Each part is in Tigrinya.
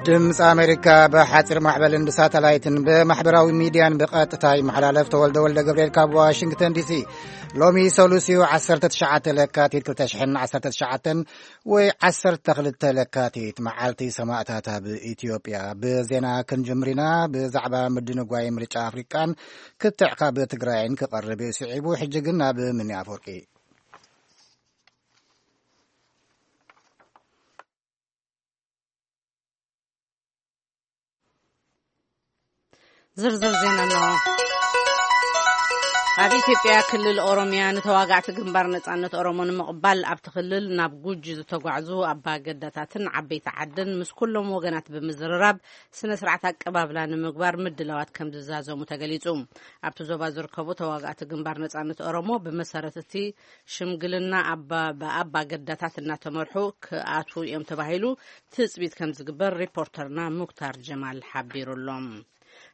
ድምፂ ኣሜሪካ ብሓፂር ማዕበልን ብሳተላይትን ብማሕበራዊ ሚድያን ብቐጥታ ይመሓላለፍ። ተወልደ ወልደ ገብርኤል ካብ ዋሽንግተን ዲሲ። ሎሚ ሰሉስ እዩ፣ ዓሰርተ ትሽዓተ ለካቲት ክልተ ሽሕን ዓሰርተ ትሽዓተን ወይ ዓሰርተ ክልተ ለካቲት መዓልቲ ሰማእታት ኣብ ኢትዮጵያ። ብዜና ክንጅምር ኢና። ብዛዕባ ምድንጓይ ምርጫ ኣፍሪቃን ክትዕ ካብ ትግራይን ክቐርብ እዩ ስዒቡ። ሕጂ ግን ናብ ምኒ ኣፈወርቂ። ዝርዝር ዜና ኣለዎ። ኣብ ኢትዮጵያ ክልል ኦሮሚያ ንተዋጋዕቲ ግንባር ነጻነት ኦሮሞ ንምቕባል ኣብቲ ክልል ናብ ጉጂ ዝተጓዕዙ ኣባ ገዳታትን ዓበይቲ ዓድን ምስ ኩሎም ወገናት ብምዝርራብ ስነ ስርዓት ኣቀባብላ ንምግባር ምድላዋት ከም ዝዛዘሙ ተገሊጹ። ኣብቲ ዞባ ዝርከቡ ተዋጋእቲ ግንባር ነጻነት ኦሮሞ ብመሰረት እቲ ሽምግልና ኣባ ብኣባ ገዳታት እናተመርሑ ክኣትዉ እዮም ተባሂሉ ትጽቢት ከም ዝግበር ሪፖርተርና ሙክታር ጀማል ሓቢሩ ኣሎ።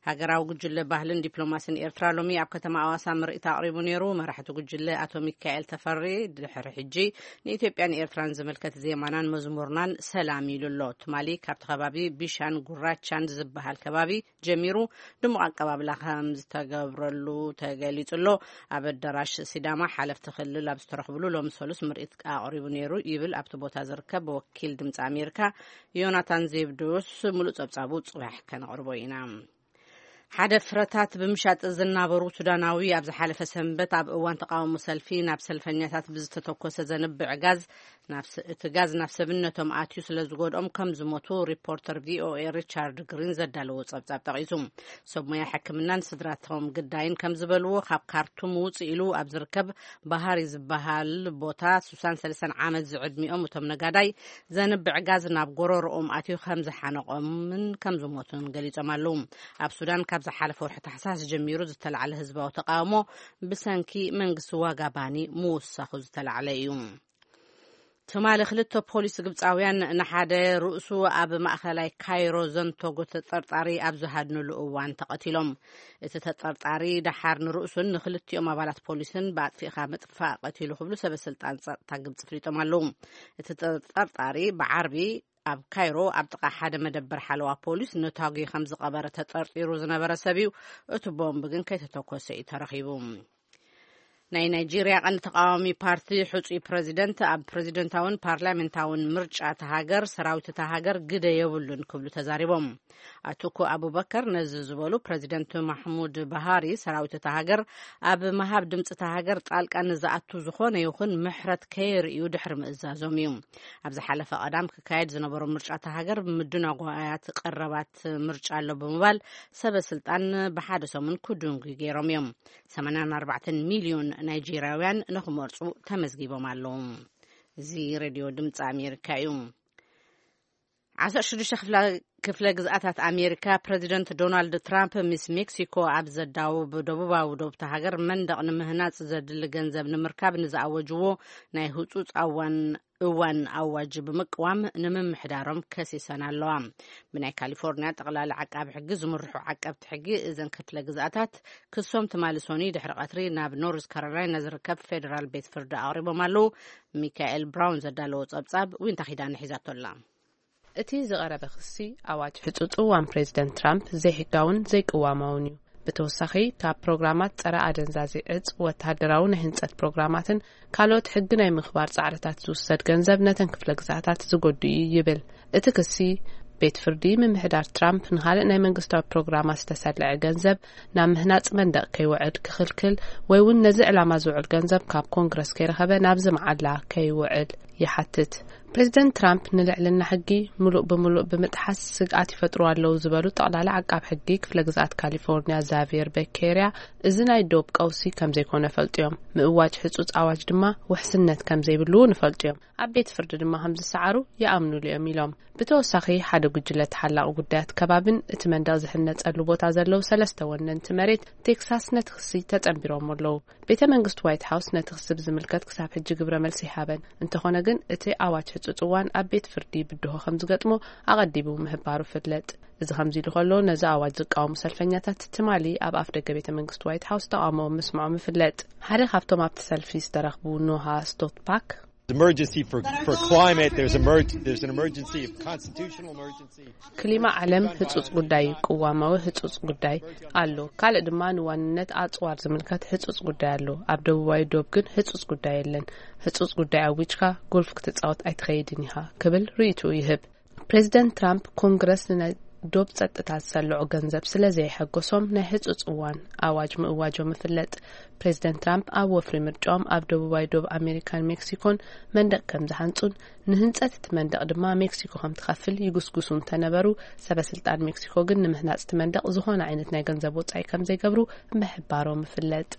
ሃገራዊ ጉጅለ ባህልን ዲፕሎማሲን ኤርትራ ሎሚ ኣብ ከተማ ኣዋሳ ምርኢት ኣቕሪቡ ነይሩ። መራሕቲ ጉጅለ ኣቶ ሚካኤል ተፈሪ ድሕሪ ሕጂ ንኢትዮጵያን ኤርትራን ዝምልከት ዜማናን መዝሙርናን ሰላም ኢሉ ኣሎ። ትማሊ ካብቲ ከባቢ ቢሻን ጉራቻን ዝበሃል ከባቢ ጀሚሩ ድሙቕ ኣቀባብላ ከም ዝተገብረሉ ተገሊጹ ኣሎ። ኣብ ኣዳራሽ ሲዳማ ሓለፍቲ ክልል ኣብ ዝተረኽብሉ ሎሚ ሰሉስ ምርኢት ኣቕሪቡ ነይሩ ይብል ኣብቲ ቦታ ዝርከብ ወኪል ድምፂ ኣሜሪካ ዮናታን ዜብዶስ። ሙሉእ ጸብጻቡ ጽባሕ ከነቕርቦ ኢና። ሓደ ፍረታት ብምሻጥ ዝናበሩ ሱዳናዊ ኣብ ዝሓለፈ ሰንበት ኣብ እዋን ተቃውሞ ሰልፊ ናብ ሰልፈኛታት ብዝተተኮሰ ዘንብዕ ጋዝ ናብ ስ-፣ እቲ ጋዝ ናብ ሰብነቶም ኣትዩ ስለ ዝጎድኦም ከም ዝሞቱ ሪፖርተር ቪ ኦ ኤ ሪቻርድ ግሪን ዘዳለዎ ጸብጻብ ጠቒሱ። ሰብ ሞያ ሕክምናን ስድራቶም ግዳይን ከም ዝበልዎ ካብ ካርቱም ውጽእ ኢሉ ኣብ ዝርከብ ባህሪ ዝበሃል ቦታ ሱሳን ሰለስተን ዓመት ዝዕድሚኦም እቶም ነጋዳይ ዘንብዕ ጋዝ ናብ ጎረሮኦም ኣትዩ ከም ዝሓነቖምን ከም ዝሞቱን ገሊጾም ኣለዉ። ኣብ ሱዳን ካብ ዝሓለፈ ወርሒ ታሕሳስ ጀሚሩ ዝተላዕለ ህዝባዊ ተቃውሞ ብሰንኪ መንግስቲ ዋጋ ባኒ ምውሳኹ ዝተላዕለ እዩ። ትማሊ ክልተ ፖሊስ ግብጻውያን ንሓደ ርእሱ ኣብ ማእኸላይ ካይሮ ዘንተጎ ተጠርጣሪ ኣብ ዝሃድንሉ እዋን ተቐቲሎም። እቲ ተጠርጣሪ ደሓር ንርእሱን ንክልቲኦም ኣባላት ፖሊስን ብኣጥፊእኻ ምጥፋእ ቀቲሉ ክብሉ ሰበ ስልጣን ጸጥታ ግብጺ ፍሊጦም ኣለዉ። እቲ ተጠርጣሪ ብዓርቢ ኣብ ካይሮ ኣብ ጥቓ ሓደ መደበር ሓለዋ ፖሊስ ነታጒ ከም ዝቐበረ ተጠርጢሩ ዝነበረ ሰብ እዩ። እቲ ቦምብ ግን ከይተተኮሰ እዩ ተረኺቡ። ናይ ናይጄርያ ቀንዲ ተቃዋሚ ፓርቲ ሕጹይ ፕረዚደንት ኣብ ፕረዚደንታውን ፓርላሜንታውን ምርጫ እታ ሃገር ሰራዊት እታ ሃገር ግደ የብሉን ክብሉ ተዛሪቦም። ኣቱኩ ኣቡበከር ነዚ ዝበሉ ፕረዚደንት ማሕሙድ ባሃሪ ሰራዊት እታ ሃገር ኣብ ምሃብ ድምፂ እታ ሃገር ጣልቃ ንዝኣቱ ዝኾነ ይኹን ምሕረት ከየርእዩ ድሕሪ ምእዛዞም እዩ። ኣብ ዝሓለፈ ቀዳም ክካየድ ዝነበሮ ምርጫ እታ ሃገር ብምድናጓያት ቀረባት ምርጫ ኣሎ ብምባል ሰበ ስልጣን ብሓደ ሰሙን ክድንጉ ገይሮም እዮም። ሰማንያን ኣርባዕተን ሚልዮን ናይጄርያውያን ንኽመርጹ ተመዝጊቦም ኣለዉ። እዚ ሬድዮ ድምፂ ኣሜሪካ እዩ። ዓሰርተ ሽዱሽተ ክፍለ፣ ክፍለ ግዝኣታት ኣሜሪካ ፕረዚደንት ዶናልድ ትራምፕ ምስ ሜክሲኮ ኣብ ዘዳውብ ደቡባዊ ዶብታ ሃገር መንደቕ ንምህናጽ ዘድሊ ገንዘብ ንምርካብ ንዝኣወጅዎ ናይ ህጹጽ ኣዋን እዋን ኣዋጅ ብምቅዋም ንምምሕዳሮም ከሲሰን ኣለዋ። ብናይ ካሊፎርኒያ ጠቕላሊ ዓቃቢ ሕጊ ዝምርሑ ዓቀብቲ ሕጊ እዘን ክፍለ ግዝኣታት ክሶም ትማሊ ሶኒ ድሕሪ ቀትሪ ናብ ኖርዝ ካሮላይና ዝርከብ ፌደራል ቤት ፍርዲ ኣቕሪቦም ኣለዉ። ሚካኤል ብራውን ዘዳለዎ ጸብጻብ ዊንታ ኪዳነ ሒዛቶ ኣላ። እቲ ዝቐረበ ክሲ ኣዋጅ ሕጹጽ እዋን ፕሬዚደንት ትራምፕ ዘይሕጋውን ዘይቅዋማውን እዩ። ብተወሳኺ ካብ ፕሮግራማት ጸረ ኣደንዛዚ ዕጽ፣ ወተሃደራዊ ናይ ህንጸት ፕሮግራማትን ካልኦት ሕጊ ናይ ምኽባር ጻዕርታት ዝውሰድ ገንዘብ ነተን ክፍለ ግዝኣታት ዝጎዱ እዩ ይብል። እቲ ክሲ ቤት ፍርዲ ምምሕዳር ትራምፕ ንኻልእ ናይ መንግስታዊ ፕሮግራማት ዝተሰልዐ ገንዘብ ናብ ምህናጽ መንደቕ ከይውዕል ክኽልክል ወይ እውን ነዚ ዕላማ ዝውዕል ገንዘብ ካብ ኮንግረስ ከይረኸበ ናብዚ መዓላ ከይውዕል ይሓትት። ፕሬዚደንት ትራምፕ ንልዕልና ሕጊ ምሉእ ብምሉእ ብምጥሓስ ስግኣት ይፈጥሩ ኣለዉ ዝበሉ ጠቕላሊ ዓቃብ ሕጊ ክፍለ ግዝኣት ካሊፎርኒያ ዛቪየር በኬርያ፣ እዚ ናይ ዶብ ቀውሲ ከም ዘይኮነ ፈልጡ እዮም። ምእዋጅ ሕጹጽ ኣዋጅ ድማ ውሕስነት ከም ዘይብሉ እውን ይፈልጡ እዮም። ኣብ ቤት ፍርዲ ድማ ከም ዝሰዓሩ ይኣምኑሉ እዮም ኢሎም። ብተወሳኺ ሓደ ጉጅለ ተሓላቒ ጉዳያት ከባብን እቲ መንደቕ ዝህነጸሉ ቦታ ዘለዉ ሰለስተ ወነንቲ መሬት ቴክሳስ ነቲ ክሲ ተጸንቢሮም ኣለዉ። ቤተ መንግስቲ ዋይት ሃውስ ነቲ ክሲ ብዝምልከት ክሳብ ሕጂ ግብረ መልሲ ይሃበን። እንተኾነ ግን እቲ ኣዋጅ ሕጹጽ እዋን ኣብ ቤት ፍርዲ ብድሆ ከም ዝገጥሞ ኣቐዲሙ ምህባሩ ፍለጥ። እዚ ከምዚ ኢሉ ከሎ ነዚ ኣዋጅ ዝቃወሙ ሰልፈኛታት ትማሊ ኣብ ኣፍ ደገ ቤተ መንግስቲ ዋይት ሃውስ ተቃውሞ ምስምዖም ይፍለጥ። ሓደ ካብቶም ኣብቲ ሰልፊ ዝተረኽቡ ኖሃ ስቶትፓክ Emergency for, for climate, there's, emerg- there's an emergency of constitutional emergency. ክሊማ ዓለም ህጹጽ ጉዳይ እዩ፣ ቅዋማዊ ህጹጽ ጉዳይ ኣሎ። ካልእ ድማ ንዋንነት ኣጽዋር ዝምልከት ህጹጽ ጉዳይ ኣሎ። ኣብ ደቡባዊ ዶብ ግን ህጹጽ ጉዳይ የለን። ህጹጽ ጉዳይ ኣዊጅካ ጎልፍ ክትጻወት ኣይትኸይድን ኢኻ ክብል ርእይትኡ ይህብ። ፕሬዚደንት ትራምፕ ኮንግረስ ንናይ ዶብ ጸጥታ ዝሰልዑ ገንዘብ ስለ ዘየሐጎሶም ናይ ህጹጽ እዋን ኣዋጅ ምእዋጆም ይፍለጥ። ፕሬዚደንት ትራምፕ ኣብ ወፍሪ ምርጫኦም ኣብ ደቡባዊ ዶብ ኣሜሪካን ሜክሲኮን መንደቕ ከም ዝሃንጹን ንህንጸት እቲ መንደቕ ድማ ሜክሲኮ ከም ትኸፍል ይጉስጉሱ እንተነበሩ፣ ሰበ ስልጣን ሜክሲኮ ግን ንምህናጽ እቲ መንደቕ ዝኾነ ዓይነት ናይ ገንዘብ ወጻኢ ከም ዘይገብሩ ምሕባሮም ይፍለጥ።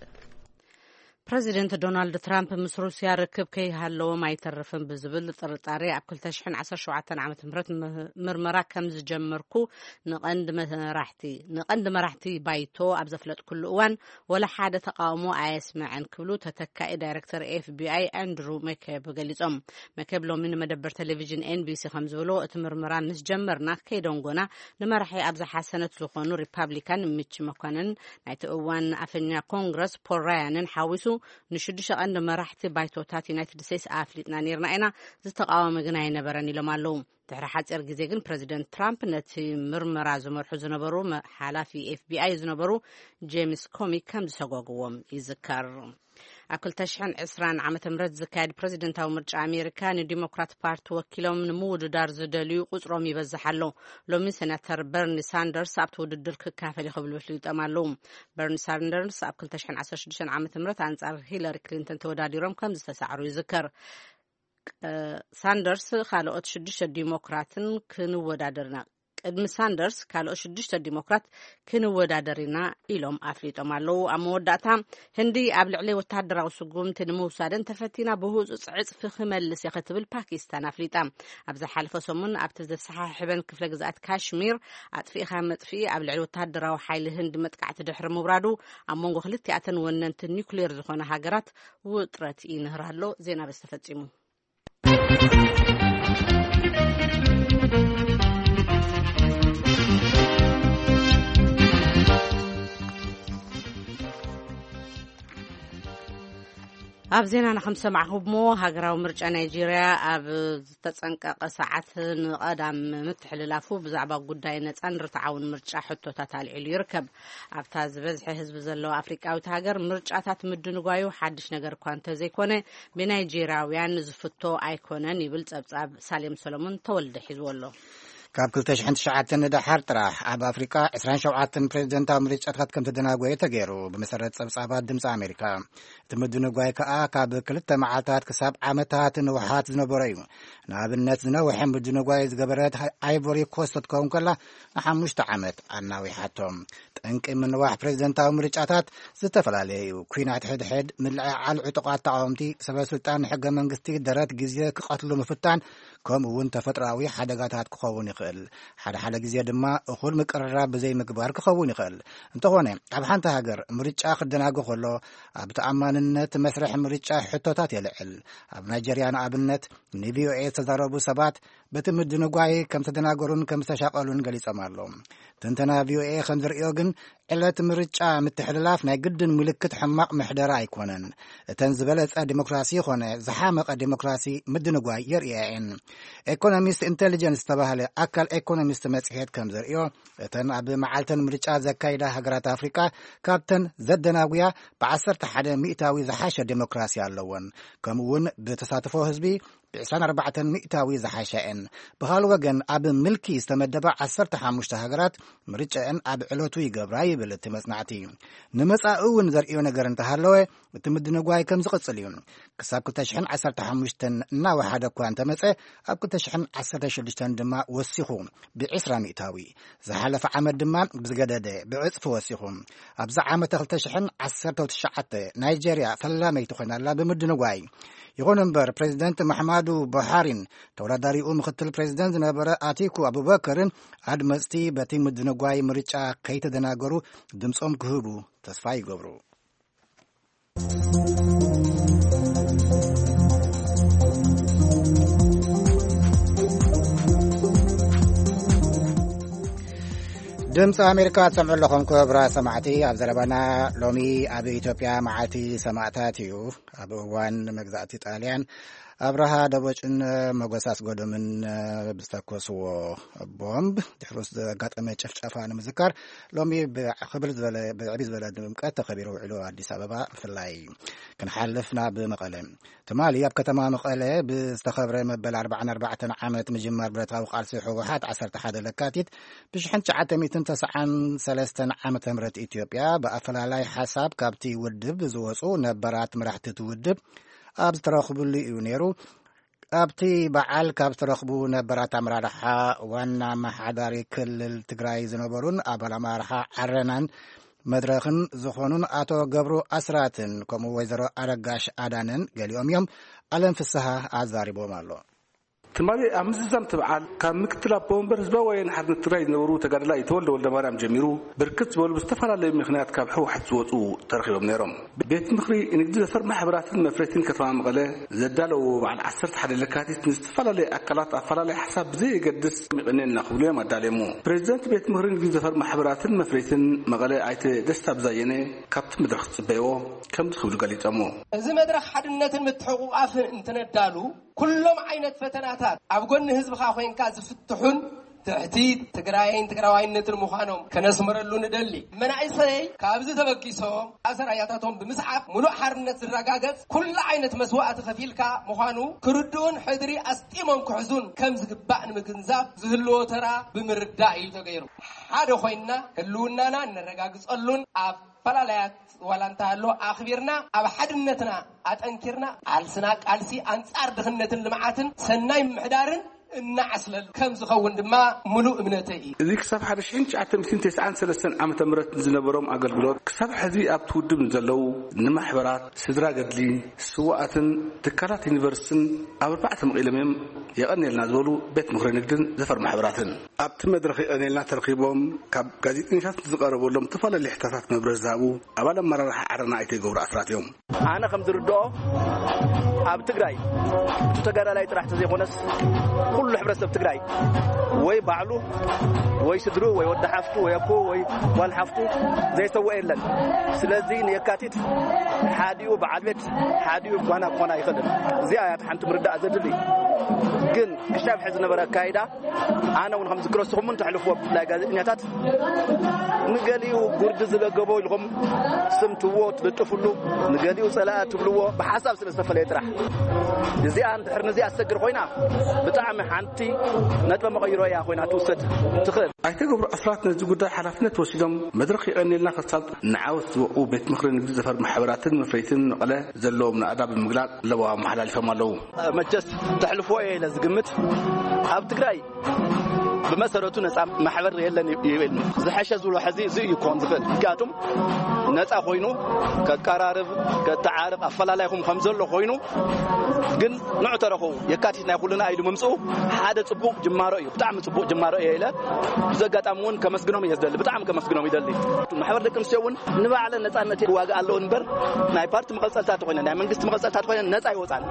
ፕረዚደንት ዶናልድ ትራምፕ ምስ ሩስያ ርክብ ከይሃለዎም ኣይተርፍን ብዝብል ጥርጣሬ ኣብ ክልተ ሽሕን ዓሰርተ ሸውዓተን ዓመተ ምህረት ም- ምርመራ ከም ዝጀመርኩ ንቐንዲ መራሕቲ ንቐንዲ መራሕቲ ባይቶ ኣብ ዘፍለጥኩሉ እዋን ወላ ሓደ ተቃውሞ ኣየስምዐን ክብሉ ተተካኢ ዳይረክተር ኤፍቢኣይ ኣንድሩ መኬብ ገሊጾም። መኬብ ሎሚ ንመደበር ቴሌቪዥን ኤንቢሲ ከም ዝብሎ እቲ ምርመራ ምስ ጀመርና ከይደንጎና ንመራሒ ኣብ ዝሓሰነት ዝኾኑ ሪፓብሊካን ሚች መኮነን ናይቲ እዋን ኣፈኛ ኮንግረስ ፖል ራያንን ሓዊሱ ንሽዱሽተ ቀንዲ መራሕቲ ባይቶታት ዩናይትድ ስቴትስ ኣፍሊጥና ነይርና ኢና፣ ዝተቃወመ ግን ኣይነበረን ኢሎም ኣለዉ። ድሕሪ ሓፂር ግዜ ግን ፕረዚደንት ትራምፕ ነቲ ምርመራ ዝመርሑ ዝነበሩ መ- ሓላፊ ኤፍቢኣይ ዝነበሩ ጄምስ ኮሚ ከም ዝሰጓግዎም ይዝከር። ኣብ ክልተ ሽሕን ዕስራን ዓመተ ምህረት ዝካየድ ፕረዚደንታዊ ምርጫ ኣሜሪካ ንዲሞክራት ፓርቲ ወኪሎም ንምውድዳር ዝደልዩ ቁፅሮም ይበዝሕ ኣሎ። ሎሚ ሴናተር በርኒ ሳንደርስ ኣብቲ ውድድር ክካፈል እዩ ክብሉ ኣፍሊጦም ኣለዉ። በርኒ ሳንደርስ ኣብ ክልተ ሽሕን ዓሰርተ ሽዱሽተን ዓመተ ምህረት ኣንጻር ሂለሪ ክሊንተን ተወዳዲሮም ከም ዝተሳዕሩ ይዝከር። ሳንደርስ ካልኦት ሽዱሽተ ዲሞክራትን ክንወዳደርና ቅድሚ ሳንደርስ ካልኦት ሽዱሽተ ዲሞክራት ክንወዳደር ኢና ኢሎም ኣፍሊጦም ኣለዉ። ኣብ መወዳእታ ህንዲ ኣብ ልዕሊ ወተሃደራዊ ስጉምቲ ንምውሳደን ተፈቲና ብህጹጽ ዕጽፊ ክመልስ እየ ክትብል ፓኪስታን ኣፍሊጣ። ኣብ ዝሓለፈ ሰሙን ኣብቲ ዘሰሓሕበን ክፍለ ግዝኣት ካሽሚር ኣጥፊእኻ መጥፍኢ ኣብ ልዕሊ ወተሃደራዊ ሓይሊ ህንዲ መጥቃዕቲ ድሕሪ ምውራዱ ኣብ መንጎ ክልቲኣተን ወነንቲ ኒውክሌር ዝኾነ ሃገራት ውጥረት ይንህር ኣሎ። ዜና በዚ ተፈጺሙ። ኣብ ዜናና ከም ዝሰማዕኹሞ ሃገራዊ ምርጫ ናይጄርያ ኣብ ዝተጸንቀቐ ሰዓት ንቐዳም ምትሕልላፉ ብዛዕባ ጉዳይ ነጻን ርትዓውን ምርጫ ሕቶታት ኣልዒሉ ይርከብ። ኣብታ ዝበዝሐ ህዝቢ ዘለዋ ኣፍሪቃዊት ሃገር ምርጫታት ምድንጓዩ ሓድሽ ነገር እኳ እንተዘይኮነ ብናይጄርያውያን ዝፍቶ ኣይኮነን ይብል ጸብጻብ ሳሌም ሰሎሞን ተወልደ ሒዝዎ ኣሎ። ካብ ክልተ ሽሕን ትሽዓተን ንደሓር ጥራሕ ኣብ ኣፍሪቃ ዕስራን ሸውዓተን ፕሬዚደንታዊ ምርጫታት ከም ተደናጎየ ተገይሩ ብመሰረት ጸብጻባት ድምፂ ኣሜሪካ። እቲ ምድንጓይ ከኣ ካብ ክልተ መዓልታት ክሳብ ዓመታት ንውሓት ዝነበሮ እዩ። ንኣብነት ዝነውሐ ምድንጓይ ዝገበረት ኣይቮሪ ኮስት ክትከውን ከላ ንሓሙሽተ ዓመት ኣናዊሓቶ። ጠንቂ ምንዋሕ ፕሬዚደንታዊ ምርጫታት ዝተፈላለየ እዩ። ኲናት ሕድሕድ፣ ምልዕዓል ዕጡቓት ተቓወምቲ፣ ሰበ ስልጣን ንሕገ መንግስቲ ደረት ግዜ ክቐትሉ ምፍታን፣ ከምኡ እውን ተፈጥሮኣዊ ሓደጋታት ክኸውን ይኽእል። ሓደ ሓደ ግዜ ድማ እኹል ምቅርራብ ብዘይምግባር ክኸውን ይኽእል። እንተኾነ ኣብ ሓንቲ ሃገር ምርጫ ክደናጎ ከሎ ኣብ ተኣማንነት መስርሕ ምርጫ ሕቶታት የልዕል። ኣብ ናይጀርያ ንኣብነት ንቪኦኤ ዝተዛረቡ ሰባት በቲ ምድንጓይ ከም ተደናገሩን ከም ዝተሻቐሉን ገሊጾም ኣለዉ። ትንተና ቪኦኤ ከም ዝርእዮ ግን ዕለት ምርጫ ምትሕልላፍ ናይ ግድን ምልክት ሕማቕ ምሕደራ ኣይኮነን። እተን ዝበለጸ ዲሞክራሲ ይኾነ ዝሓመቐ ዲሞክራሲ ምድንጓይ የርእያ እየን። ኤኮኖሚስት ኢንቴሊጀንስ ዝተባህለ ኣካል ኤኮኖሚስት መጽሔት ከም ዘርእዮ እተን ኣብ መዓልተን ምርጫ ዘካይዳ ሃገራት ኣፍሪቃ ካብተን ዘደናጉያ ብዓሰርተ ሓደ ሚእታዊ ዝሓሸ ዲሞክራሲ ኣለወን። ከምኡ እውን ብተሳትፎ ህዝቢ ብዕስራን ኣርባዕተን ሚእታዊ ዝሓሻ እየን። ብኻልእ ወገን ኣብ ምልኪ ዝተመደባ ዓሰርተ ሓሙሽተ ሃገራት ምርጫአን ኣብ ዕለቱ ይገብራ ይብል እቲ መጽናዕቲ። ንመጻኢ እውን ዘርእዮ ነገር እንተሃለወ እቲ ምድንጓይ ከም ዝቕጽል እዩ። ክሳብ ክልተ ሽሕን ዓሰርተ ሓሙሽተን እናወሓደ እኳ እንተመጸ ኣብ ክልተ ሽሕን ዓሰርተ ሽዱሽተን ድማ ወሲኹ ብዕስራ ሚእታዊ። ዝሓለፈ ዓመት ድማ ብዝገደደ ብዕጽፊ ወሲኹ። ኣብዚ ዓመተ ክልተ ሽሕን ዓሰርተ ትሽዓተ ናይጀርያ ፈላመይቲ ኮይና ኣላ ብምድንጓይ። ይኹን እምበር ፕሬዚደንት መሓማዱ ቡሃሪን ተወዳዳሪኡ ምክትል ፕሬዚደንት ዝነበረ ኣቲኩ ኣቡበከርን ኣድመፅቲ በቲ ምድንጓይ ምርጫ ከይተደናገሩ ድምፆም ክህቡ ተስፋ ይገብሩ። ድምፂ ኣሜሪካ ትሰምዑ ኣለኹም ክቡራት ሰማዕቲ። ኣብ ዘረባና ሎሚ ኣብ ኢትዮጵያ መዓልቲ ሰማእታት እዩ። ኣብ እዋን መግዛእቲ ጣልያን ኣብርሃ ደቦጭን መጎስ ኣስገዶምን ብዝተኮስዎ ቦምብ ድሕሩ ዘጋጠመ ጭፍጨፋ ንምዝካር፣ ሎሚ ብክብል ዝበለ፣ ብዕቢ ዝበለ ድምቀት ተኸቢሩ ውዒሉ። ኣዲስ ኣበባ ብፍላይ ክንሓልፍ ናብ መቐለ። ትማሊ ኣብ ከተማ መቐለ ብዝተኸብረ መበል ኣርባዓን ኣርባዕተን ዓመት ምጅማር ብረታዊ ቃልሲ ህወሓት፣ ዓሰርተ ሓደ ለካቲት ብሽሕን ትሽዓተ ሚእትን ተስዓን ሰለስተን ዓመተ ምህረት ኢትዮጵያ፣ ብኣፈላላይ ሓሳብ ካብቲ ውድብ ዝወፁ ነባራት መራሕቲ እቲ ውድብ ኣብ ዝተረኽብሉ እዩ ነይሩ። ኣብቲ በዓል ካብ ዝተረኽቡ ነባራት ኣመራርሓ ዋና ኣመሓዳሪ ክልል ትግራይ ዝነበሩን ኣባል ኣመራርሓ ዓረናን መድረኽን ዝኾኑን ኣቶ ገብሩ ኣስራትን ከምኡ ወይዘሮ ኣረጋሽ ኣዳነን ገሊኦም እዮም። ኣለም ፍስሃ ኣዛሪቦም ኣሎ። ትማሊ ኣብ ምዝዛም እቲ በዓል ካብ ምክትል ኣቦ ወንበር ህዝባዊ ወያነ ሓርነት ትግራይ ዝነበሩ ተጋዳላይ ተወልደ ወልደ ማርያም ጀሚሩ፣ ብርክት ዝበሉ ብዝተፈላለዩ ምኽንያት ካብ ህወሓት ዝወፁ ተረኺቦም ነይሮም። ቤት ምኽሪ ንግዲ ዘፈር ማሕበራትን መፍረይትን ከተማ መቐለ ዘዳለዎ በዓል ዓሰርተ ሓደ ለካቲት ንዝተፈላለዩ ኣካላት ኣፈላላይ ሓሳብ ብዘየገድስ ይቐንየልና ክብሉ እዮም ኣዳልየሞ። ፕሬዚደንት ቤት ምኽሪ ንግዲ ዘፈር ማሕበራትን መፍረይትን መቐለ ኣይተ ደስታ ብዛየነ ካብቲ መድረኽ ዝፅበይዎ ከምዚ ክብሉ ገሊፆሞ። እዚ መድረኽ ሓድነትን ምትሕቑቓፍን እንትነዳሉ፣ ኩሎም ዓይነት ፈተናታት ኣብ ጎኒ ህዝብኻ ኮይንካ ዝፍትሑን ትሕቲ ትግራይን ትግራዋይነትን ምዃኖም ከነስምረሉ ንደሊ። መናእሰይ ካብዚ ተበጊሶም ኣሰራያታቶም ብምስዓብ፣ ሙሉእ ሓርነት ዝረጋገጽ ኩሉ ዓይነት መስዋእቲ ከፊልካ ምዃኑ ክርድኡን ሕድሪ ኣስጢሞም ክሕዙን ከም ዝግባእ ንምግንዛብ ዝህልዎ ተራ ብምርዳእ እዩ ተገይሩ። ሓደ ኮይንና ህልውናና እነረጋግጸሉን ኣብ ፈላላያት ዋላ እንተሃሎ ኣኽቢርና ኣብ ሓድነትና ኣጠንኪርና ቃልስና ቃልሲ ኣንጻር ድኽነትን ልምዓትን ሰናይ ምምሕዳርን እናዓስለሉ ከም ዝኸውን ድማ ምሉእ እምነተይ እዩ። እዚ ክሳብ ሓደ ሽሕን ትሽዓተ ሚእትን ተስዓን ሰለስተን ዓመተ ምህረት ዝነበሮም ኣገልግሎት ክሳብ ሕዚ ኣብቲ ውድብ ንዘለዉ ንማሕበራት፣ ስድራ ገድሊ፣ ስዋኣትን ትካላት ዩኒቨርሲቲን ኣብ ኣርባዕተ መቒሎም እዮም የቐንየልና ዝበሉ ቤት ምኽሪ ንግድን ዘፈር ማሕበራትን። ኣብቲ መድረኽ የቐንየልና ተረኺቦም ካብ ጋዜጠኛታት ዝቐረበሎም ዝተፈላለዩ ሕቶታት መብርሂ ዝሃቡ ኣባል ኣመራርሓ ዓረና ኣይተ ገብሩ ኣስራት እዮም። ኣነ ከም ዝርድኦ ኣብ ትግራይ እቲ ተጋዳላይ ጥራሕ ተዘይኮነስ ኩሉ ሕብረተሰብ ትግራይ ወይ ባዕሉ ወይ ስድሩ ወይ ወዲ ሓፍቱ ወይ ኣኮ ወይ ጓል ሓፍቱ ዘይሰውአ የለን። ስለዚ ንየካቲት ሓዲኡ በዓል ቤት ሓዲኡ ጓና ክኾን ኣይኽእልን። እዚኣ እያ ሓንቲ ምርዳእ ዘድሊ። ግን ክሻብ ሕዚ ዝነበረ ኣካይዳ ኣነ እውን ከም ዝክረስኹም እውን ተሕልፍዎ ብፍላይ ጋዜጠኛታት ንገሊኡ ጉርዲ ዝለገቦ ኢልኹም ስም ትዎ ትልጥፍሉ፣ ንገሊኡ ጸላኢ ትብልዎ ብሓሳብ ስለ ዝተፈለየ ጥራሕ። እዚኣ እንድሕር ንዚኣ ትሰግር ኮይና ብጣዕሚ ሓንቲ ነጥበ መቐይሮ እያ ኮይና ትውሰድ ትኽእል። ኣይተ ገብሩ ኣስራት ነዚ ጉዳይ ሓላፍነት ወሲዶም መድረኽ የቐንየልና ከሳልጡ ንዓወት ዝበቑ ቤት ምኽሪ ንግዲ ዘፈር ማሕበራትን መፍረይትን መቐለ ዘለዎም ናእዳ ብምግላጽ ለበዋ ኣመሓላሊፎም ኣለዉ። መቸስ ተሕልፎ እየ ኢለ ዝግምት ኣብ ትግራይ ብመሰረቱ ነፃ ማሕበር የለን ይብል። ዝሐሸ ዝብሎ ሕዚ እዚ እዩ ክኾን ዝኽእል። ምክንያቱም ነፃ ኮይኑ ከቀራርብ፣ ከተዓርቕ፣ ኣፈላላይኹም ከም ዘሎ ኮይኑ ግን ንዑ ተረኸቡ የካቲት ናይ ኩልና ኢሉ ምምፅኡ ሓደ ፅቡቕ ጅማሮ እዩ። ብጣዕሚ ፅቡቕ ጅማሮ እየ ኢለ ብዚ ኣጋጣሚ እውን ከመስግኖም እየ ዝደሊ። ብጣዕሚ ከመስግኖም ይደሊ። ማሕበር ደቂ ኣንስትዮ እውን ንባዕለን ነፃነት ዋጋ ኣለዎ እምበር ናይ ፓርቲ መቐፀልታት ኮይነ ናይ መንግስቲ መቐፀልታት ኮይነ ነፃ ይወፃን።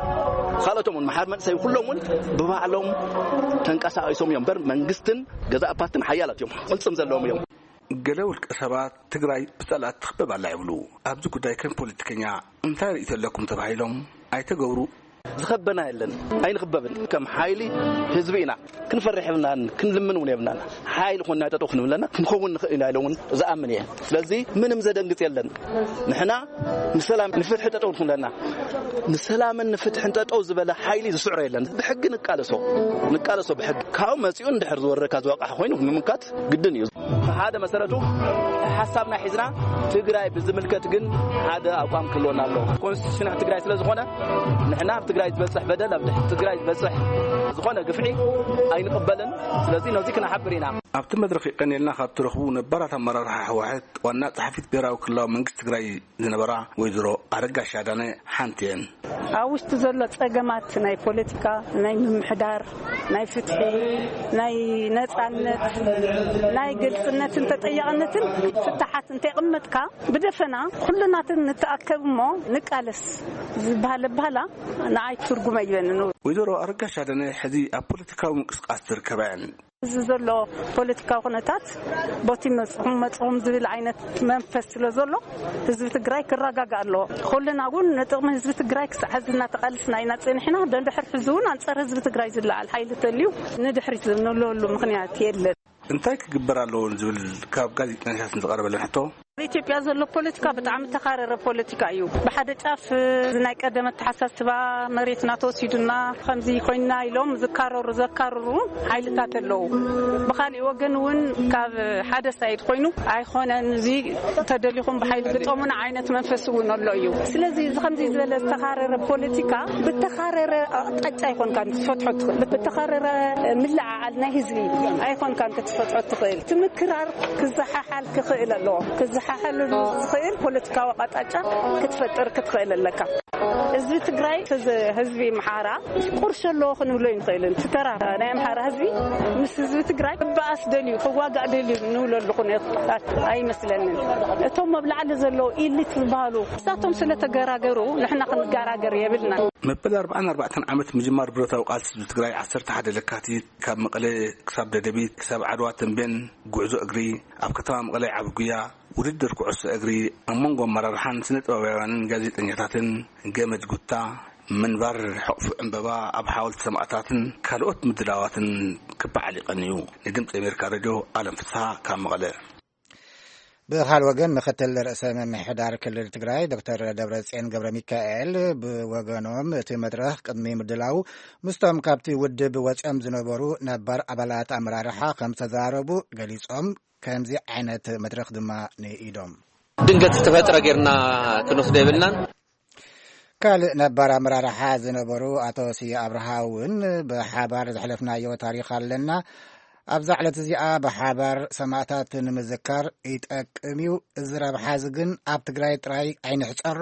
ካልኦቶም እውን ማሕበር መንእሰይ ኩሎም እውን ብባዕሎም ተንቀሳቒሶም እዮም እምበር መንግስትን ገዛእ ፓርትን ሓያላት እዮም። ቅልፅም ዘለዎም እዮም። ገለ ውልቀ ሰባት ትግራይ ብፀላእቲ ትኽበብ ኣላ ይብሉ። ኣብዚ ጉዳይ ከም ፖለቲከኛ እንታይ ርእይቶ ኣለኩም ተባሂሎም ኣይተ ገብሩ ዝኸበና የለን፣ ኣይንኽበብን። ከም ሓይሊ ህዝቢ ኢና። ክንፈርሕ የብልናን፣ ክንልምን እውን የብልናን። ሓይሊ ኮንና ጠጠው ክንብለና ክንኸውን ንኽእል ኢና ኢለ እውን ዝኣምን እየ። ስለዚ ምንም ዘደንግጽ የለን። ንሕና ንሰላም ንፍትሒ ጠጠው ክንብለና፣ ንሰላምን ንፍትሕን ጠጠው ዝበለ ሓይሊ ዝስዕሮ የለን። ብሕጊ ንቃለሶ፣ ንቃለሶ ብሕጊ። ካብኡ መጺኡ እንድሕር ዝወረካ ዝወቃሕ ኮይኑ ንምምካት ግድን እዩ። ሓደ መሰረቱ ሓሳብና ሒዝና ትግራይ ብዝምልከት ግን ሓደ ኣቋም ክህልወና ኣለዎ። ኮንስቲቱሽን ትግራይ ስለ ዝኾነ ንሕና ኣብ ትግራይ ዝበፅሕ በደል፣ ኣብ ትግራይ ዝበፅሕ ዝኾነ ግፍዒ ኣይንቕበልን። ስለዚ ነዚ ክነሓብር ኢና። ኣብቲ መድረኽ የቀንየልና ካብ ትረኽቡ ነባራት ኣመራርሓ ህወሓት ዋና ጸሓፊት ብሔራዊ ክልላዊ መንግስቲ ትግራይ ዝነበራ ወይዘሮ ኣረጋሽ ኣዳነ ሓንቲ እየን። ኣብ ውሽጢ ዘሎ ጸገማት ናይ ፖለቲካ፣ ናይ ምምሕዳር፣ ናይ ፍትሒ፣ ናይ ነጻነት፣ ናይ ግልጽነትን ተጠያቕነትን ፍታሓት እንተይቕመጥካ ብደፈና ኩልናትን ንተኣከብ እሞ ንቃለስ ዝበሃል ኣባህላ ንዓይ ትርጉም ኣይበንን። ወይዘሮ ኣረጋሽ ኣዳነ ሕዚ ኣብ ፖለቲካዊ ምንቅስቃስ ዝርከባ እየን። እዚ ዘሎ ፖለቲካዊ ኩነታት ቦቲ መፅኹም መፅኹም ዝብል ዓይነት መንፈስ ስለ ዘሎ ህዝቢ ትግራይ ክረጋጋእ ኣለዎ። ኩልና እውን ንጥቕሚ ህዝቢ ትግራይ ክሳዕ ሕዚ እናተቓለስና ኢና ፀኒሕና። ደንድሕር ሕዚ እውን ኣንፃር ህዝቢ ትግራይ ዝለዓል ሓይሊ ተልዩ ንድሕሪት ንብለሉ ምኽንያት የለን። እንታይ ክግበር ኣለዎ ዝብል ካብ ጋዜጠኛታት ዝቐረበለን ሕቶ፣ ኣብ ኢትዮጵያ ዘሎ ፖለቲካ ብጣዕሚ ተኻረረ ፖለቲካ እዩ። ብሓደ ጫፍ ናይ ቀደም ኣተሓሳስባ መሬትና ተወሲዱና ከምዚ ኮይና ኢሎም ዝካረሩ ዘካርሩ ሓይልታት ኣለዉ። ብኻሊእ ወገን እውን ካብ ሓደ ሳይድ ኮይኑ ኣይኮነን፣ እዚ ተደሊኹም ብሓይሊ ግጠሙና ዓይነት መንፈስ እውን ኣሎ እዩ። ስለዚ እዚ ከምዚ ዝበለ ዝተኻረረ ፖለቲካ ብተኻረረ ኣቕጣጫ ኣይኮንካን ክትፈትሖ ትኽእል። ብተኻረረ ምልዓዓል ናይ ህዝቢ ኣይኮንካን ክትፈትሖ ትኽእል። ትምክራር ክዘሓሓል ክኽእል ኣለዎ። ክዘሓሓል ዝኽእል ፖለቲካዊ ኣቕጣጫ ክትፈጥር ክትኽእል ኣለካ። ህዝቢ ትግራይ፣ ህዝ-፣ ህዝቢ ኣምሓራ ቁርሾ ኣለዎ ክንብሎ ኣይንኽእልን። እቲ ተራ ናይ ኣምሓራ ህዝቢ ምስ ህዝቢ ትግራይ ክበኣስ ደልዩ፣ ክዋጋእ ደልዩ ንብለሉ ኩነታት ኣይመስለንን። እቶም ኣብ ላዕሊ ዘለዉ ኢሊት ዝበሃሉ ንሳቶም ስለ ተገራገሩ ንሕና ክንገራገር የብልና። መበል ኣርባዓን ኣርባዕተን ዓመት ምጅማር ብረታዊ ቃልሲ ህዝቢ ትግራይ፣ ዓሰርተ ሓደ ለካቲት፣ ካብ መቐለ ክሳብ ደደቢት፣ ክሳብ ዓድዋ ተምቤን፣ ጉዕዞ እግሪ፣ ኣብ ከተማ መቐለ ዓቢ ጉያ፣ ውድድር ኩዕሶ እግሪ፣ ኣብ መንጎ ኣመራርሓን ስነ ጥበባውያንን ጋዜጠኛታትን፣ ገመድ ጉታ፣ ምንባር ሕቕፉ ዕምበባ ኣብ ሓወልቲ ሰማእታትን ካልኦት ምድላዋትን ክበዓል ይቐንዩ። ንድምፂ ኣሜሪካ ሬድዮ ኣለም ፍስሃ ካብ መቐለ። ብኻል ወገን፣ ምክትል ርእሰ ምምሕዳር ክልል ትግራይ ዶክተር ደብረጽዮን ገብረ ሚካኤል ብወገኖም፣ እቲ መድረኽ ቅድሚ ምድላው ምስቶም ካብቲ ውድብ ወጺኦም ዝነበሩ ነባር ኣባላት ኣመራርሓ ከም ዝተዛረቡ ገሊጾም፣ ከምዚ ዓይነት መድረኽ ድማ ንኢዶም። ድንገት ዝተፈጥረ ጌርና ክንወስዶ የብልናን። ካልእ ነባር ኣመራርሓ ዝነበሩ ኣቶ ስየ ኣብርሃ እውን፣ ብሓባር ዘሕለፍናዮ ታሪኽ ኣለና፣ ኣብዛ ዕለት እዚኣ ብሓባር ሰማእታት ንምዝካር ይጠቅም እዩ። እዚ ረብሓ እዚ ግን ኣብ ትግራይ ጥራይ ኣይንሕጸሮ፣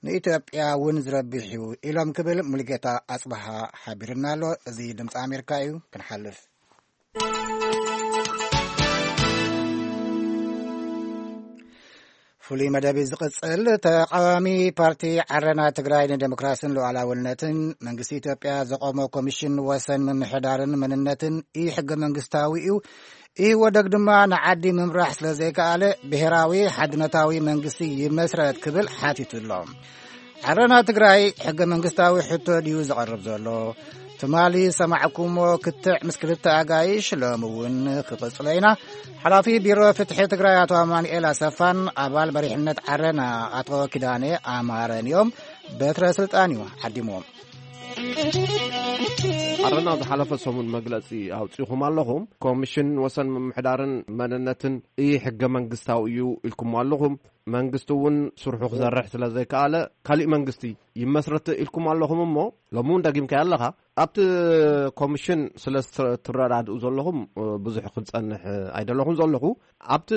ንኢትዮጵያ እውን ዝረብሕ እዩ ኢሎም ክብል ሙሉጌታ ኣጽብሃ ሓቢርና ኣሎ። እዚ ድምፂ ኣሜሪካ እዩ። ክንሓልፍ። ፍሉይ መደብ እዩ ዝቕጽል። ተቓዋሚ ፓርቲ ዓረና ትግራይ ንዴሞክራስን ሉዓላውነትን፣ መንግስቲ ኢትዮጵያ ዘቖሞ ኮሚሽን ወሰን ምምሕዳርን መንነትን ኢ-ሕገ መንግስታዊ እዩ፣ ኢህወደግ ድማ ንዓዲ ምምራሕ ስለ ዘይከኣለ፣ ብሄራዊ ሓድነታዊ መንግስቲ ይመስረት ክብል ሓቲቱ ኣሎ። ዓረና ትግራይ ሕገ መንግስታዊ ሕቶ ድዩ ዘቕርብ ዘሎ? ትማሊ ዝሰማዕኩሞ ክትዕ ምስ ክልተ ኣጋይሽ ሎሚ እውን ክቕጽሎ ኢና። ሓላፊ ቢሮ ፍትሒ ትግራይ ኣቶ ኣማኑኤል ኣሰፋን ኣባል መሪሕነት ዓረና ኣቶ ኪዳነ ኣማረን እዮም። በትረ ስልጣን እዩ ዓዲምዎም። ዓረና ዝሓለፈ ሰሙን መግለጺ ኣውጺኹም ኣለኹም። ኮሚሽን ወሰን ምምሕዳርን መንነትን ኢ-ሕገ መንግስታዊ እዩ ኢልኩሞ ኣለኹም። መንግስቲ እውን ስርሑ ክሰርሕ ስለ ዘይከኣለ፣ ካሊእ መንግስቲ ይመስረት ኢልኩም ኣለኹም እሞ፣ ሎሚ እውን ደጊምካዮ ኣለኻ። ኣብቲ ኮሚሽን ስለ ዝተ-፣ ትረዳድኡ ዘለኹም፣ እ፣ ብዙሕ ክንጸንሕ፣ እ፣ ኣይደለኹን ዘለኹ። ኣብቲ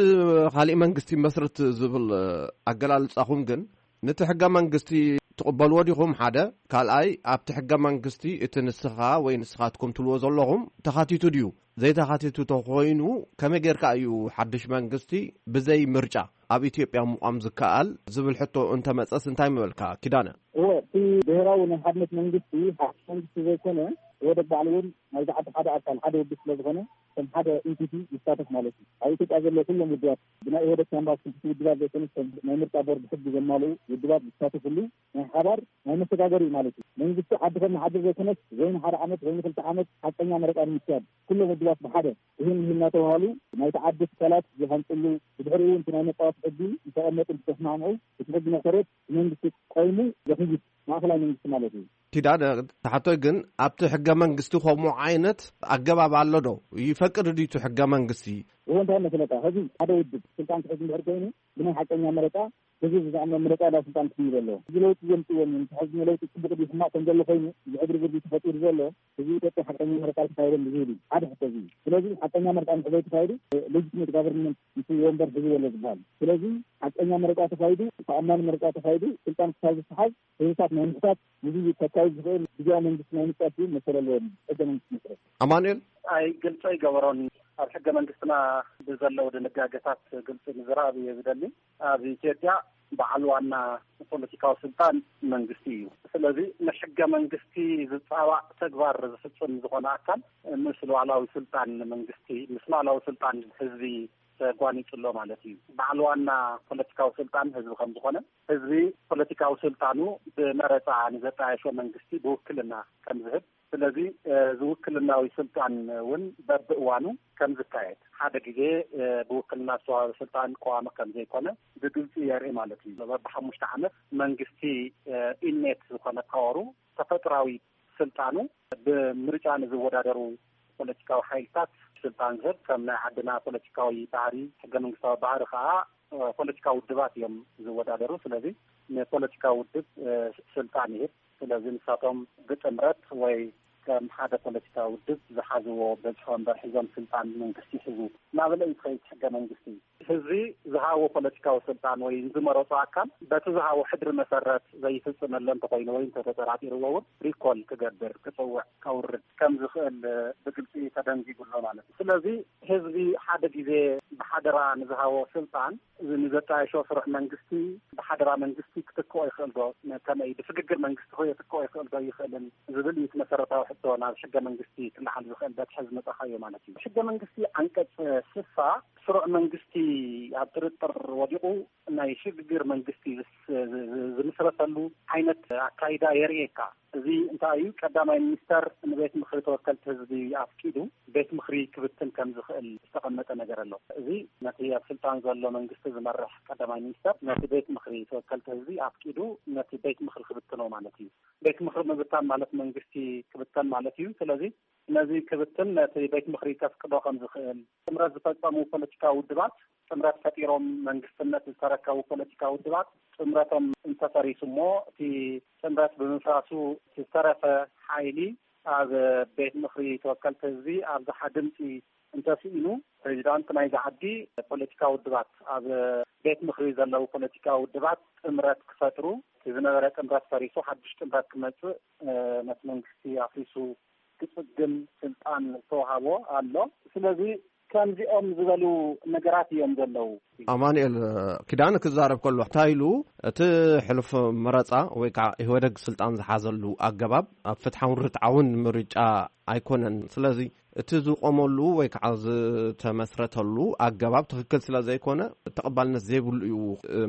ካሊእ መንግስቲ ይመስረት ዝብል፣ እ፣ ኣገላልጻኹም ግን፣ ነቲ ሕገ መንግስቲ ትቕበልዎ ዲኹም? ሓደ። ካልኣይ፣ ኣብቲ ሕገ መንግስቲ እቲ ንስኻ ወይ ንስኻትኩም ትብልዎ ዘለኹም ተኻቲቱ ድዩ? ዘይተኻቲቱ ተኾይኑ፣ ከመይ ጌርካ እዩ ሓድሽ መንግስቲ ብዘይ ምርጫ ኣብ ኢትዮጵያ ምቋም ዝከኣል ዝብል ሕቶ እንተመጸስ እንታይ ምበልካ ኪዳነ? እወ፣ እቲ ብሄራዊ ናይ ሓድነት መንግስቲ ሓድሽ መንግስቲ ዘይኮነ፣ ኢህወደግ ባዕሉ እውን ናይዚ ዓዲ ሓደ ኣካል፣ ሓደ ውድብ ስለ ዝኾነ፣ ከም ሓደ ኢንቲቲ ይሳተፍ ማለት እዩ። ኣብ ኢትዮጵያ ዘለዉ ኩሎም ውድባት፣ ብናይ ኢህወደግ ካንቫስ ክልቲኡ ውድባት ዘይኮነስ፣ ከም ናይ ምርጫ ቦርድ ሕጊ ዘማልኡ ውድባት ዝሳተፍሉ ናይ ሓባር ናይ መሰጋገሪ እዩ ማለት እዩ። መንግስቲ ዓዲ ከም ንሓድር ዘይኮነስ፣ ወይ ንሓደ ዓመት ወይ ንክልተ ዓመት ሓቀኛ መረፃ ንምክያድ ኩሎም ውድባት ብሓደ ይህን ይህን እናተባሃሉ ናይቲ ዓዲ ትካላት ዝሃንፅሉ፣ ብድሕሪኡ እውን እቲ ናይ መፃወቲ ሕጊ ዝተቐመጡ እንትተስማምዑ፣ እቲ ሕጊ መሰረት መንግስቲ ቆይሙ ዘኽይድ ማእኸላይ መንግስቲ ማለት እዩ። ኪዳነ፣ ተሓቶይ ግን ኣብቲ ሕገ መንግስቲ ከምኡ ዓይነት ኣገባብ ኣሎ ዶ? ይፈቅድ ድዩ እቲ ሕገ መንግስቲ? እዎ፣ እንታይ መሰለካ፣ ሕዚ ሓደ ውድብ ስልጣን ክሕዝ እንድሕር ኮይኑ ብናይ ሓቀኛ መረፃ ህዝቢ ብዛዕባ ምርጫ ናብ ስልጣን ክስይብ ኣለዎ። እዚ ለውጢ ዘምፅእዎም እዮም። እቲ ሕዚ ለውጢ ፅቡቕ ድዩ ሕማቕ ከም ዘሎ ኮይኑ፣ እዚ ዕግርግር ድዩ ተፈጢሩ ዘሎ፣ ህዝቢ ኢትዮጵያ ሓቀኛ መረፃ ኣይተካየደን ብዝብል እዩ። ሓደ ሕቶ እዚ እዩ። ስለዚ ሓቀኛ መረፃ እንድሕር ዘይተካየዱ፣ ሌጂቲሜት ጋቨርንመንት ምስ ወንበር ሒዙ ዘሎ ዝበሃል። ስለዚ ሓቀኛ መረፃ ተካይዱ፣ ተኣማኒ መረፃ ተካይዱ፣ ስልጣን ክሳብ ዝሰሓብ ህዝብታት ናይ ምሕታት፣ ንህዝቢ ከካይድ ዝኽእል ግዝያዊ መንግስቲ ናይ ምምጻእ እውን መሰል ኣለዎም። ሕገ መንግስቲ መስረት። ኣማኑኤል? ኣይ፣ ግልፂ ኣይገበሮን። ኣብ ሕገ መንግስትና ብዘለዉ ድንጋገታት ግልፂ ምዝራብ እየ ዝደሊ። ኣብ ኢትዮጵያ በዓል ዋና ፖለቲካዊ ስልጣን መንግስቲ እዩ። ስለዚ ንሕገ መንግስቲ ዝጻባእ ተግባር ዝፍጽም ዝኾነ ኣካል ምስ ሉዓላዊ ስልጣን መንግስቲ፣ ምስ ሉዓላዊ ስልጣን ህዝቢ ተጓኒጹ ኣሎ ማለት እዩ። በዓል ዋና ፖለቲካዊ ስልጣን ህዝቢ ከም ዝኾነ፣ ህዝቢ ፖለቲካዊ ስልጣኑ ብመረጻ ንዘጣየሾ መንግስቲ ብውክልና ከም ዝህብ፣ ስለዚ እዚ ውክልናዊ ስልጣን እውን በብእዋኑ ከም ዝካየድ፣ ሓደ ግዜ ብውክልና ዝተዋህበ ስልጣን ቀዋሚ ከም ዘይኮነ ብግልጺ የርኢ ማለት እዩ። በብሓሙሽተ ዓመት መንግስቲ ኢኔት ዝኾነ ፓወሩ፣ ተፈጥራዊ ስልጣኑ፣ ብምርጫ ንዝወዳደሩ ፖለቲካዊ ሓይልታት ስልጣን ዝህብ፣ ከም ናይ ዓድና ፖለቲካዊ ባህሪ፣ ሕገ መንግስታዊ ባህሪ ከዓ ፖለቲካዊ ውድባት እዮም ዝወዳደሩ። ስለዚ ንፖለቲካዊ ውድብ ስልጣን ይህብ። ስለዚ ንሳቶም ብጥምረት ወይ ከም ሓደ ፖለቲካዊ ውድብ ዝሓዝዎ በዝሒ ወንበር ሒዞም ስልጣን መንግስቲ ይሕዙ እናበለ እዩ ዝኸይድ ሕገ መንግስቲ። ህዝቢ ዝሃቦ ፖለቲካዊ ስልጣን ወይ ዝመረጾ ኣካል በቲ ዝሃቦ ሕድሪ መሰረት ዘይፍጽመሉ እንተኾይኑ ወይ እንተተጠራጢርዎ እውን ሪኮል ክገብር፣ ክጽውዕ፣ ከውርድ ከም ዝኽእል ብግልጺ ተደንጊጉ ኣሎ ማለት እዩ። ስለዚ ህዝቢ ሓደ ግዜ ብሓደራ ንዝሃቦ ስልጣን ንዘጣየሾ ስሩዕ መንግስቲ ብሓደራ መንግስቲ ክትክኦ ይኽእል ዶ? ከመይ ብስግግር መንግስቲ ክትክኦ ይኽእል ዶ ይኽእልን ዝብል እዩ እቲ መሰረታዊ ሕቶ ናብ ሕገ መንግስቲ ክለዓል ዝኽእል በቲ ሕዚ መጻኻዮ ማለት እዩ። ሕገ መንግስቲ ዓንቀጽ ስሳ ስሩዕ መንግስቲ ኣብ ጥርጥር ወዲቑ ናይ ሽግግር መንግስቲ ዝስ-፣ ዝ-፣ ዝ-፣ ዝምስረተሉ ዓይነት ኣካይዳ የርእየካ። እዚ እንታይ እዩ? ቀዳማይ ሚኒስተር ንቤት ምኽሪ ተወከልቲ ህዝቢ ኣፍቂዱ ቤት ምኽሪ ክብትን ከም ዝኽእል ዝተቐመጠ ነገር ኣሎ። እዚ ነቲ ኣብ ስልጣን ዘሎ መንግስቲ ዝመርሕ ቀዳማይ ሚኒስተር ነቲ ቤት ምኽሪ ተወከልቲ ህዝቢ ኣፍቂዱ ነቲ ቤት ምኽሪ ክብትኖ ማለት እዩ። ቤት ምኽሪ ምብታን ማለት መንግስቲ ክብተን ማለት እዩ። ስለዚ ነዚ ክብትን ነቲ ቤት ምኽሪ ከፍቅዶ ከም ዝኽእል፣ ጥምረት ዝፈጸሙ ፖለቲካዊ ውድባት፣ ጥምረት ፈጢሮም መንግስትነት ዝተረከቡ ፖለቲካዊ ውድባት ጥምረቶም እንተፈሪሱ እሞ፣ እቲ ጥምረት ብምፍራሱ ዝተረፈ ሓይሊ ኣብ ቤት ምኽሪ ተወከልቲ ህዝቢ ኣብዝሓ ድምፂ እንተስኢኑ፣ ፕሬዚዳንት ናይዚ ዓዲ ፖለቲካዊ ውድባት፣ ኣብ ቤት ምኽሪ ዘለዉ ፖለቲካዊ ውድባት ጥምረት ክፈጥሩ፣ እቲ ዝነበረ ጥምረት ፈሪሱ ሓድሽ ጥምረት ክመፅእ፣ እ፣ ነቲ መንግስቲ ኣፍሪሱ ክጽግን ስልጣን ዝተዋሃቦ ኣሎ። ስለዚ ከምዚኦም ዝበሉ ነገራት እዮም ዘለዉ። ኣማኑኤል ኪዳነ ክዛረብ ከሎ እንታይ ኢሉ፣ እቲ ሕሉፍ መረጻ ወይ ከዓ ኢህወደግ ስልጣን ዝሓዘሉ ኣገባብ ኣብ ፍትሓውን ርትዓውን ምርጫ ኣይኮነን። ስለዚ እቲ ዝቆመሉ ወይ ከዓ ዝተመስረተሉ ኣገባብ ትኽክል ስለ ዘይኮነ ተቐባልነት ዘይብሉ እዩ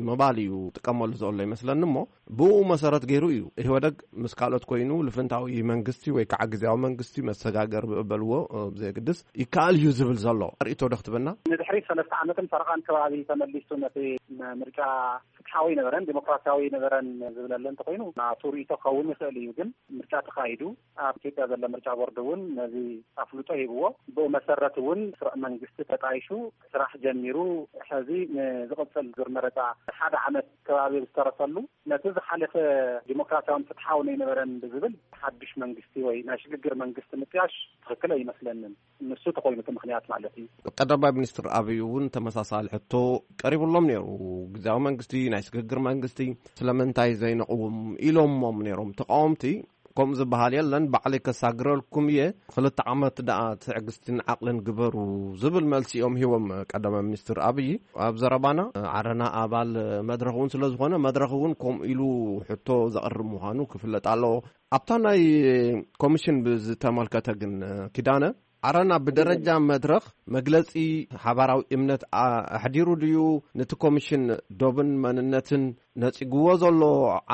ምባል እዩ ጥቀመሉ ዘሎ ይመስለኒ። እሞ ብኡ መሰረት ገይሩ እዩ ኢህወደግ ምስ ካልኦት ኮይኑ ልፍንታዊ መንግስቲ ወይ ከዓ ግዜያዊ መንግስቲ መሰጋገር በልዎ፣ እ፣ ብዘየግድስ ይከኣል እዩ ዝብል ዘሎ ርእይቶ ዶ ክትበና? ንድሕሪት ሰለስተ ዓመትን ፈረቓን ከባቢ ተመሊሱ ነቲ ም-፣ ምርጫ ፍትሓዊ ነበረን ዲሞክራሲያዊ ነበረን ዝብለለ እንተኾይኑ ናቱ ርእይቶ ክኸውን ይኽእል እዩ። ግን ምርጫ ተኻይዱ ኣብ ኢትዮጵያ ዘሎ ምርጫ ቦርድ እውን ነዚ ኣፍልጦ ሂብዎ። ብኡ መሰረት እውን ስሩዕ መንግስቲ ተጣይሹ ስራሕ ጀሚሩ፣ ሕዚ ንዝቕጽል ዙር መረጻ ሓደ ዓመት ከባቢ ዝተረፈሉ፣ ነቲ ዝሓለፈ ዲሞክራሲያውን ፍትሓውን ኣይነበረን ብዝብል ሓድሽ መንግስቲ ወይ ናይ ሽግግር መንግስቲ ምጥያሽ ትኽክል ኣይመስለንን። ንሱ ተኾይኑ እቲ ምኽንያት ማለት እዩ። ቀዳማይ ሚኒስትር ኣብይ እውን ተመሳሳሊ ሕቶ ቀሪቡሎም ነይሩ። ግዜያዊ መንግስቲ፣ ናይ ሽግግር መንግስቲ ስለምንታይ ዘይነቕውም ኢሎሞም ነይሮም ተቃወምቲ። ከምኡ ዝበሃል የለን፣ ባዕለይ ከሳግረልኩም እየ፣ ክልተ ዓመት ደኣ ትዕግስትን ዓቕልን ግበሩ ዝብል መልሲ እዮም ሂቦም ቀዳማይ ሚኒስትር ኣብይ። ኣብ ዘረባና ዓረና ኣባል መድረኽ እውን ስለ ዝኾነ መድረኽ እውን ከምኡ ኢሉ ሕቶ ዘቕርብ ምዃኑ ክፍለጥ ኣለዎ። ኣብታ ናይ ኮሚሽን ብዝተመልከተ ግን ኪዳነ፣ ዓረና ብደረጃ መድረኽ መግለጺ ሓባራዊ እምነት ኣ-፣ ኣሕዲሩ ድዩ? ነቲ ኮሚሽን ዶብን መንነትን ነጺግዎ ዘሎ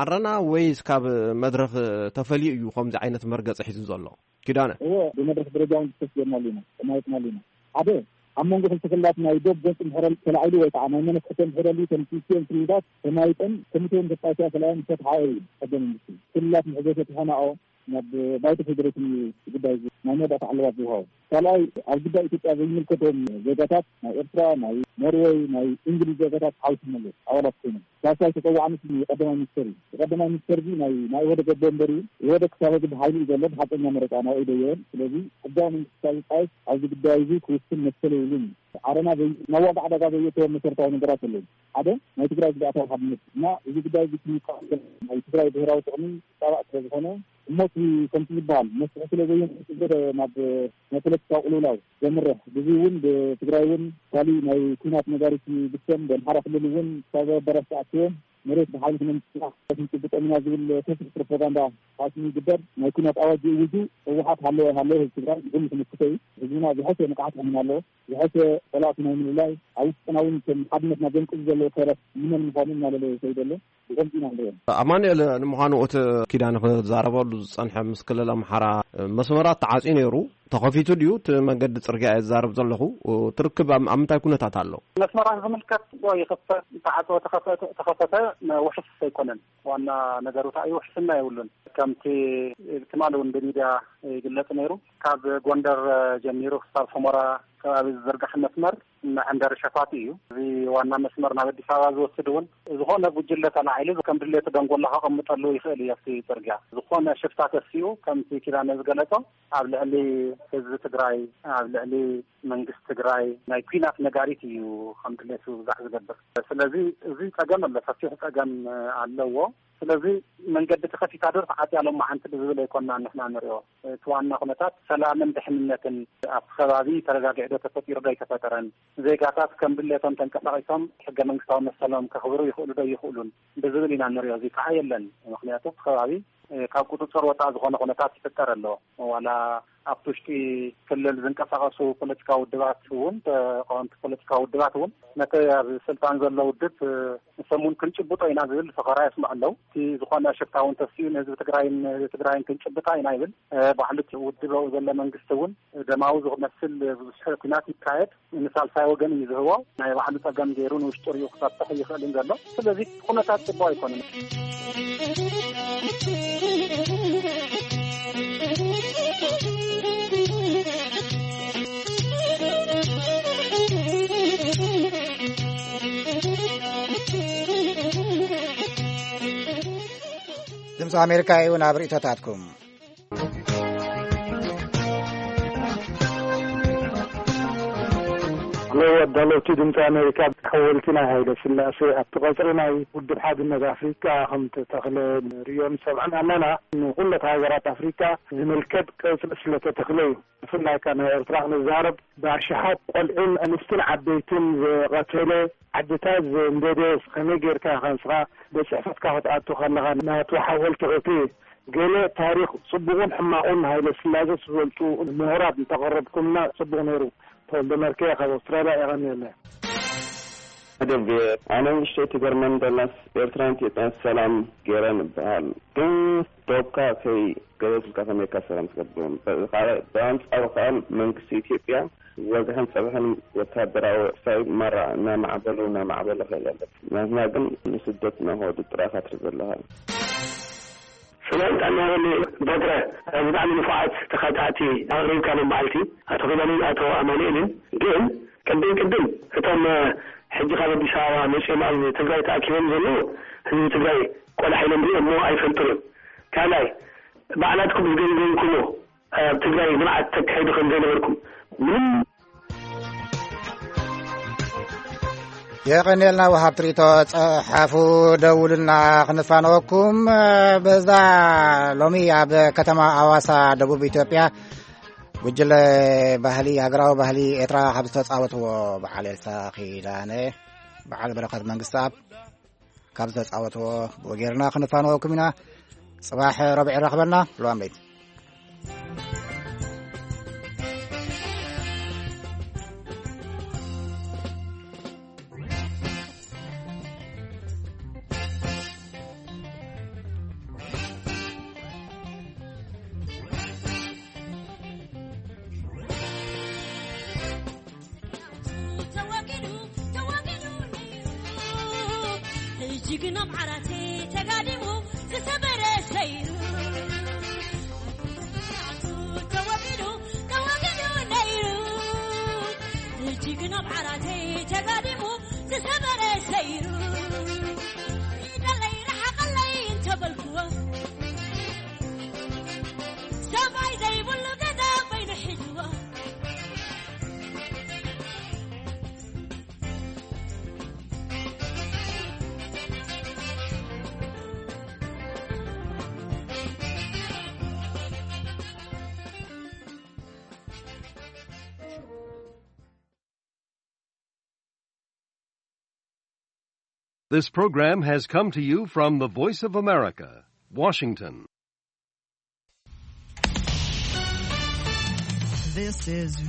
ዓረና ወይስ ካብ መድረኽ ተፈልዩ እዩ ከምዚ ዓይነት መርገጺ ሒዙ ዘሎ? ኪዳነ። እወ፣ ብመድረኽ ደረጃ እውን ክተስጀናሉ ኢና፣ ተማየጥናሉ ኢና። ሓደ፣ ኣብ መንጎ ክልተ ክልላት ናይ ዶብ ገጽ እንድሕረ ተላዒሉ ወይ ከዓ ናይ መነፍሕቶ እንድሕረ ልዩ፣ እተን ክልቲኦም ክልላት ተማይጠን ኮሚቴ እውን ተጣይሳ ተላዕለን ፈትሓኦ እዩ ሕገ መንግስቲ። ክልላት ምሕዘ ፈትሐናኦ፣ ናብ ባይቶ ፌዴሬሽን እዩ እቲ ጉዳይ እዚ ናይ መወዳእታ ዕልባት ዝወሃቦ። ካልኣይ፣ ኣብ ጉዳይ ኢትዮጵያ ዘይምልከቶም ዜጋታት ናይ ኤርትራ፣ ናይ ኖርወይ፣ ናይ እንግሊዝ ዜጋታት ሓዊሱ መለስ ኣባላት ኮይኖም ሳልሳይ ተጸዋዕነት የቀዳማይ ሚኒስተር እዩ። የቀዳማይ ሚኒስተር እዚ ናይ ናይ ኢህወደግ ኣቦ ወንበር እዩ። ኢህወደግ ክሳብ ሕዚ ብሓይሊ እዩ ዘሎ፣ ብሓቀኛ መረጻ ናብኡ ኣይደየበን። ስለዚ ሕጋዊ መንግስቲ ክሳብ ዝጣየስ ኣብዚ ጉዳይ እዚ ክውስን መሰል የብሉን። ዓረና ዘይ-፣ መዋጋዕ ዕዳጋ ዘየእተዎም መሰረታዊ ነገራት ኣለዉ። ሓደ ናይ ትግራይ ግዝኣታዊ ሓድነት እና እዚ ጉዳይ እዚ ክንቃወም ናይ ትግራይ ብሄራዊ ጥቕሚ ዝጻባእ ስለ ዝኾነ፣ እሞ እቲ ከምቲ ዝበሃል መስርሕ ስለ ዘየምጽእ ናብ ናይ ፖለቲካዊ ቅልውላው ዘምርሕ፣ ብዚ እውን ብትግራይ እውን ካሊእ ናይ ኲናት ነጋሪት ይብተን፣ ብኣምሓራ ክልል እውን ክሳብ ኣዳራሽ ተኣኪቦም መሬት ብሓይሊ ክነምስሳ ክንጭብጦም ኢና ዝብል ሰፊሕ ፕሮፓጋንዳ ፋሽን ይግበር። ናይ ኩናት ኣዋጅ ይእውጁ። ህወሓት ሃለወ ሃለወ ህዝቢ ትግራይ ንኩሉ ክምክቶ እዩ። ህዝብና ዝሐሸ ንቕሓት ክህብና ኣለዎ። ዝሐሸ ፀላእቲ ናይ ምልላይ፣ ኣብ ውሽጥና እውን ከም ሓድነትና ዘንቅዙ ዘለዉ ሰረት ንመን ምዃኑ እናለለየ ይኸይድ ኣሎ። ብኸምዚ ኢና ንሪኦ። ኣማኑኤል፣ ንምዃኑ እቲ ኪዳነ ክዛረበሉ ዝጸንሐ ምስ ክልል ኣምሓራ መስመራት ተዓጽዩ ነይሩ። ተኸፊቱ ድዩ እቲ መንገዲ ጽርግያ? እየ ዝዛረብ ዘለኹ። እቲ ርክብ ኣብ ኣብ ምንታይ ኩነታት ኣሎ? መስመራት ዝምልከት ይኽፈት፣ ተዓጽወ ተኸፈተ፣ ተኸፈተ ውሕስ ኣይኮነን። ዋና ነገሩ እንታይ እዩ? ውሕስና የብሉን። ከምቲ ትማሊ እውን ብሚድያ ይግለጽ ነይሩ። ካብ ጎንደር ጀሚሩ ክሳብ ሑመራ ከባቢ ዝዝርጋሕ መስመር መዐንደሪ ሸፋቱ እዩ። እዚ ዋና መስመር ናብ ኣዲስ ኣበባ ዝወስድ እውን ዝኾነ ጉጅለ ተላዒሉ ከም ድሌቱ ደንጎላ ከቐምጠሉ ይኽእል እዩ። ኣብቲ ጽርግያ ዝኾነ ሽፍታ ተሲኡ ከምቲ ኪዳነ ዝገለጾ ኣብ ልዕሊ ህዝቢ ትግራይ፣ ኣብ ልዕሊ መንግስቲ ትግራይ ናይ ኲናት ነጋሪት እዩ ከም ድሌቱ ዝዛዕ ዝገብር። ስለዚ እዚ ጸገም ኣሎ፣ ሰፊሕ ጸገም ኣለዎ። ስለዚ መንገዲ ተኸፊታ ዶ ተዓጽያ ሎማዓንቲ ብዝብል ኣይኮና ንሕና ንሪኦ። እቲ ዋና ኩነታት ሰላምን ድሕንነትን ኣብቲ ከባቢ ተረጋጊዑ ዶ ተፈጢሩ ዶ ኣይተፈጠረን፣ ዜጋታት ከም ድሌቶም ተንቀሳቒሶም ሕገ መንግስታዊ መሰሎም ከኽብሩ ይኽእሉ ዶ ይኽእሉን ብዝብል ኢና ንሪኦ። እዚ ከዓ የለን። ምኽንያቱ እቲ ከባቢ ካብ ቁፅፅር ወፃኢ ዝኾነ ኩነታት ይፍጠር ኣሎ። ዋላ ኣብቲ ውሽጢ ክልል ዝንቀሳቐሱ ፖለቲካዊ ውድባት እውን፣ ተቃወምቲ ፖለቲካዊ ውድባት እውን ነቲ ኣብ ስልጣን ዘሎ ውድብ ንሶም እውን ክንጭብጦ ኢና ዝብል ፈኸራ የስምዑ ኣለዉ። እቲ ዝኾነ ሽፍታ እውን ተሲኡ ንህዝቢ ትግራይን ንህዝቢ ትግራይን ክንጭብጣ ኢና ይብል። ባዕሉ እቲ ውድብ ኣብኡ ዘሎ መንግስቲ እውን ደማዊ ዝመስል ብዙሕ ኩናት ይካየድ። ንሳልሳይ ወገን እዩ ዝህቦ። ናይ ባዕሉ ጸገም ገይሩ ንውሽጡ ሪኡ ክፈትሕ ይኽእልን ዘሎ። ስለዚ ኩነታት ጽቡቕ ኣይኮነን። ድምፂ ኣሜሪካ እዩ ናብ ርእይቶታትኩም። ኣለዎ ኣዳለውቲ ድምፂ ኣሜሪካ። ሓወልቲ ናይ ሃይለ ስላሴ ኣብቲ ቀፅሪ ናይ ውድብ ሓድነት ኣፍሪካ ከም ተተኽለ ንርእዮን ሰምዕን ኣለና። ንኩለት ሃገራት ኣፍሪካ ዝምልከት ቀፅሪ ስለተተኽለ እዩ። ብፍላይ ከ ናይ ኤርትራ ክንዛረብ፣ ብኣሽሓት ቆልዑን ኣንስትን ዓበይትን ዝቐተለ፣ ዓድታት ዘንደደ፣ ከመይ ጌርካ ኢኻ ንስኻ ቤት ጽሕፈትካ ክትኣቱ ከለኻ ናቱ ሓወልቲ ክትርኢ? ገለ ታሪኽ ጽቡቕን ሕማቑን ሃይለ ስላሴ ዝፈልጡ ምሁራት እንተቐረብኩምና ጽቡቕ ነይሩ። ተወልደ መርከ ካብ ኣውስትራልያ። የቐንየለይ። መደብ ቪኦኤ። ኣነ ንእሽተይ ትገርመን ደላስ ኤርትራን ኢትዮጵያን ሰላም ገይረን እበሃል። ግን ዶብካ ከይገለጽልካ ከመይካ ሰላም ትገብሮም? ካልእ ብኣንጻሩ ከኣ መንግስቲ ኢትዮጵያ ወግሕን ጸብሕን ወታደራዊ ክሳይ ማራ እናማዕበሉ እናማዕበሉ ከይድ ኣለዉ። ናትና ግን ንስደት እናኸዱ ጥራይ ካትሪ ዘለኻ። ሰላም ጥዕና ይሃበኒ በትረ፣ ብጣዕሚ ንፉዓት ተኻታዕቲ ኣቕሪብካ ሎም በዓልቲ ኣቶ ኪዳነን ኣቶ ኣማኑኤልን። ግን ቅድም ቅድም እቶም ሕጂ ካብ ኣዲስ ኣበባ መጺኦም ኣብ ትግራይ ተኣኪቦም ዘለዉ ህዝቢ ትግራይ ቆልዓ ኢሎም ሪኦም እሞ ኣይፈልጡን እዮም። ካልኣይ ባዕላትኩም ዝገምገምኩሞ ኣብ ትግራይ ልምዓት ተካይዱ ከም ዘይነበርኩም ምንም የቐንየልና ወሃብ ትርኢቶ ጸሓፉ ደውልና ክንፋነወኩም። በዛ ሎሚ ኣብ ከተማ ኣዋሳ ደቡብ ኢትዮጵያ ጉጅለ ባህሊ ሃገራዊ ባህሊ ኤርትራ ካብ ዝተጻወትዎ በዓል ኤልሳ ኪዳነ በዓል በረኸት መንግስትኣብ ካብ ዝተጻወትዎ ብኡ ጌርና ክንፋነወኩም ኢና። ጽባሕ ረቡዕ ይራኽበና። ልዋም ለይቲ። ተወጊዱ፣ ተወጊዱ ነይሩ። ሕጂ ግን ኣብ ዓራተይ ተጋዲሙ ዝተበረ ሰይሩ። ተወጊዱ፣ ተወጊዱ ነይሩ። ሕጂ ግን ኣብ ዓራተይ ተጋዲሙ ዝተበረ ሰይሩ። ርሓቐለይ፣ ርሓቐለይ እንተበልክዎ፣ ሰብኣይ ዘይብሉ ገዛ ኮይኑ ሒዝዎ። This program has come to you from the Voice of America, Washington. This is